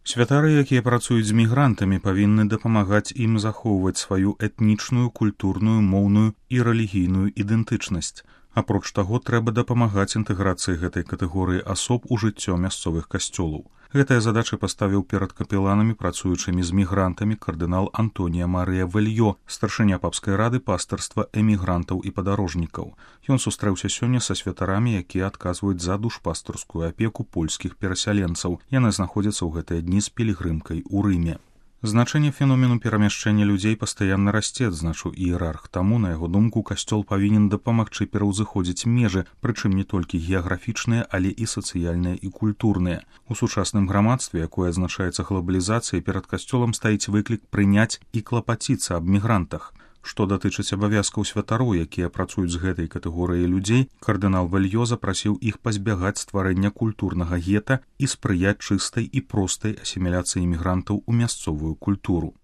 Святары, якія працуюць з мігрантамі, павінны дапамагаць ім захоўваць сваю этнічную, культурную, моўную і рэлігійную ідэнтычнасць. Апроч таго, трэба дапамагаць інтэграцыі гэтай катэгорыі асоб у жыццё мясцовых касцёлаў. Гэтая задача паставіў перад капеланамі, працуючымі з мігрантамі, кардынал Антонія Марыя Вельё, старшыня папскай рады пастырства эмігрантаў і падарожнікаў. Ён сустрэўся сёння са святарамі, якія адказваюць за душпастырскую апеку польскіх перасяленцаў. Яны знаходзяцца ў гэтыя дні з пілігрымкай у Рыме. Значэнне феномену перамяшчэння людзей пастаянна расце, адзначыў іерарх. Таму, на яго думку, касцёл павінен дапамагчы пераўзыходзіць межы, прычым не толькі геаграфічныя, але і сацыяльныя і культурныя. У сучасным грамадстве, якое адзначаецца глабалізацыяй, перад касцёлам стаіць выклік прыняць і клапаціцца аб мігрантах. Што датычыць абавязкаў святароў, якія працуюць з гэтай катэгорыяй людзей, кардынал Вельё запрасіў іх пазбягаць стварэння культурнага гета і спрыяць чыстай і простай асіміляцыі мігрантаў у мясцовую культуру.